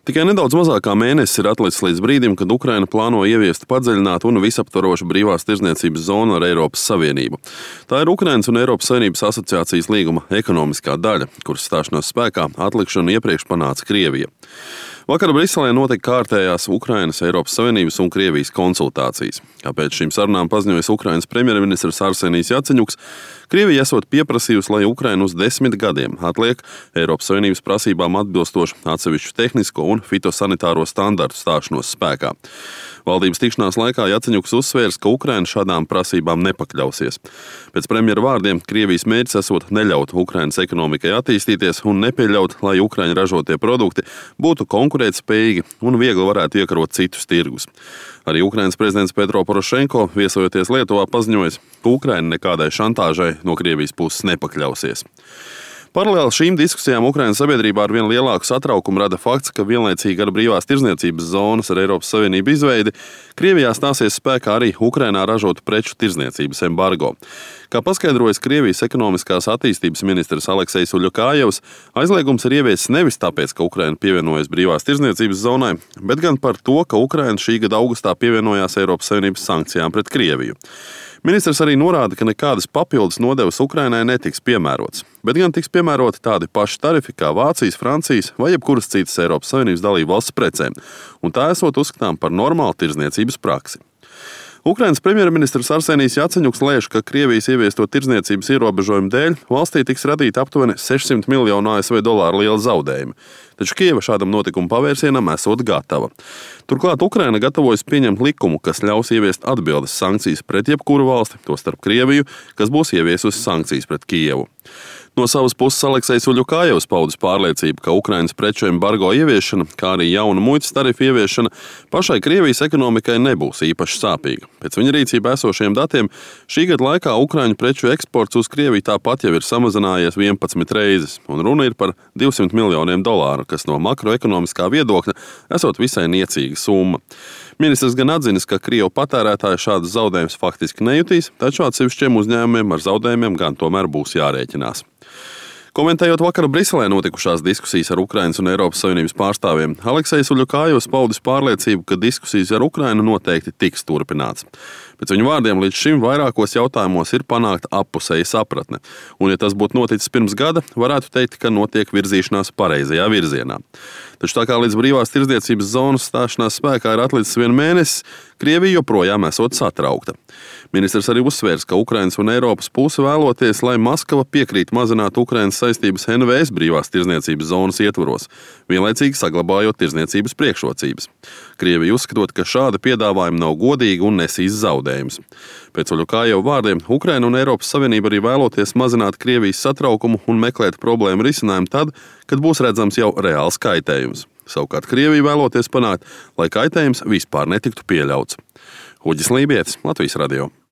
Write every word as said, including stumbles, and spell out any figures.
Tikai nedaudz mazāk kā mēnesis ir atlicis līdz brīdim, kad Ukraina plāno ieviest padziļinātu un visaptvarošu brīvās tirdzniecības zonu ar Eiropas Savienību. Tā ir Ukrainas un Eiropas Savienības asociācijas līguma ekonomiskā daļa, kuras stāšanās spēkā atlikšanu iepriekš panāca Krievija. Vakar Briselē notika kārtējās Ukrainas, Eiropas Savienības un Krievijas konsultācijas. Kāpēc šīm sarunām paziņojis Ukrainas premjerministrs Arsenijs Jaceņuks, Krievija esot pieprasījusi, lai Ukraina uz desmit gadiem atliek Eiropas Savienības prasībām atbilstošu atsevišķu tehnisko un fitosanitāro standartu stāšanos spēkā. Valdības tikšanās laikā Jaceņuks uzsvērs, ka Ukraina šādām prasībām nepakļausies. Pēc premjera vārdiem Krievijas mērķis esot neļaut Ukrainas ekonomikai attīstīties un nepieļaut, lai Ukraiņa ražotie produkti būtu konkurētspējīgi un viegli varētu iekarot citus tirgus. Arī Ukrainas prezidents Petro Porošenko, viesojoties Lietuvā, paziņojis, ka Ukraina nekādai šantāžai no Krievijas puses nepakļausies. Paralēli šīm diskusijām Ukrainas sabiedrībā ar vien lielāku satraukumu rada fakts, ka vienlaicīgi ar brīvās tirdzniecības zonas ar Eiropas Savienību izveidi Krievijā stāsies spēkā arī Ukrainā ražotu preču tirdzniecības embargo. Kā paskaidrojas Krievijas ekonomiskās attīstības ministrs Aleksejs Uļukājevs, aizliegums ir ieviesis nevis tāpēc, ka Ukraina pievienojas brīvās tirdzniecības zonai, bet gan par to, ka Ukraina šī gada augustā pievienojās Eiropas Savienības sankcijām pret Krieviju. Ministrs arī norāda, ka nekādas papildus nodevas Ukrainai netiks piemērotas, bet gan tiks piemēroti tādi paši tarifi kā Vācijas, Francijas vai jebkuras citas Eiropas Savienības dalību valsts precēm, un tā esot uzskatām par normālu tirdzniecības praksi. Ukrainas premjerministrs Arsenijs Jaceņuks lēš, ka Krievijas ieviesto tirdzniecības ierobežojumu dēļ valstī tiks radīti aptuveni sešsimt miljonu A S V dolāru liela zaudējumi, taču Kieva šādam notikuma pavērsienam esot gatava. Turklāt Ukraina gatavojas pieņemt likumu, kas ļaus ieviest atbildes sankcijas pret jebkuru valsti, tostarp Krieviju, kas būs ieviesusi sankcijas pret Kievu. No savas puses Aleksejs Uļukājevs paudis pārliecību, ka Ukrainas preču embargo ieviešana, kā arī jauna muitas tarifu ieviešana, pašai Krievijas ekonomikai nebūs īpaši sāpīga. Pēc viņa rīcībā esošiem datiem šī gada laikā Ukraiņu preču eksports uz Krieviju tāpat jau ir samazinājies vienpadsmit reizes, un runa ir par divsimt miljoniem dolāru, kas no makroekonomiskā viedokļa esot visai niecīga summa. Ministrs gan atzinis, ka Krievu patērētāji šādus zaudējumus faktiski nejutīs, taču atsevišķiem uzņēmumiem ar zaudējumiem gan tomēr būs jārēķinās. Komentējot vakar Briselē notikušās diskusijas ar Ukrainas un Eiropas Savienības pārstāvjiem, Aleksejs Uļukājevs paudis pārliecību, ka diskusijas ar Ukrainu noteikti tiks turpināts. Pēc viņu vārdiem līdz šim vairākos jautājumos ir panākta appusēja sapratne, un ja tas būtu noticis pirms gada, varētu teikt, ka notiek virzīšanās pareizajā virzienā. Taču tā kā līdz brīvās tirdzniecības zonas stāšanās spēkā ir atlicis vien mēnesis, Krievija joprojām esot satraukta. Ministrs arī uzsvērs, ka Ukrainas un Eiropas puse vēloties, lai Maskava piekrīt mazināt Ukrainas saistības N V S brīvās tirdzniecības zonas ietvaros, vienlaicīgi saglabājot tirdzniecības priekšrocības. Krievija uzskatot, ka šāda piedāvājuma nav godīga un nesīs zaudējumus. Pēc Uļukājeva vārdiem, Ukraina un Eiropas Savienība arī vēloties mazināt Krievijas satraukumu un meklēt problēmu risinājumu tad, kad būs redzams jau reāls kaitējums. Savukārt Krievija vēloties panākt, lai kaitējums vispār netiktu pieļauts. Uģis Lībietis, Latvijas radio.